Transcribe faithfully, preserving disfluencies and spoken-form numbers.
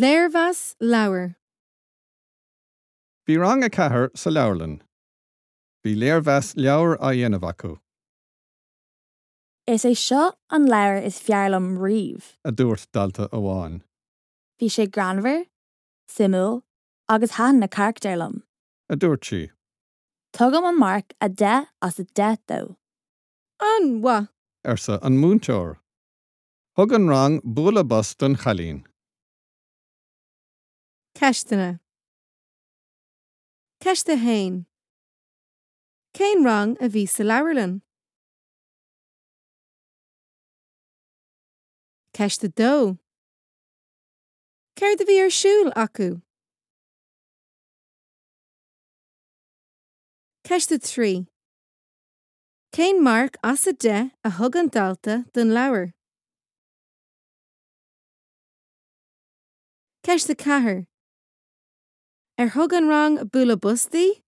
Léirmheas leabhar. Bhí rang a ceathair sa leabharlann. Bhí léirmheas leabhar á dhéanamh acu. Is é seo an leabhar is fearr liom riamh. a dúirt dalta amháin. Bhí sé greannmhar, suimiúil agus thaitin na carachtair liom. a dúirt sí. Tugaim an marc a deich as a deich dó. An-mhaith. arsa an múinteoir. Thug an rang bualadh bos don chailín. Ceisteanna. Ceist a haon. Cén rang a bhí sa leabharlann? Ceist a dó. Céard a bhí ar siúl acu? Ceist a trí. Cén marc as a deich a thug an dalta don leabhar? Ceist a ceathair. Ar thug an rang bualadh bos di?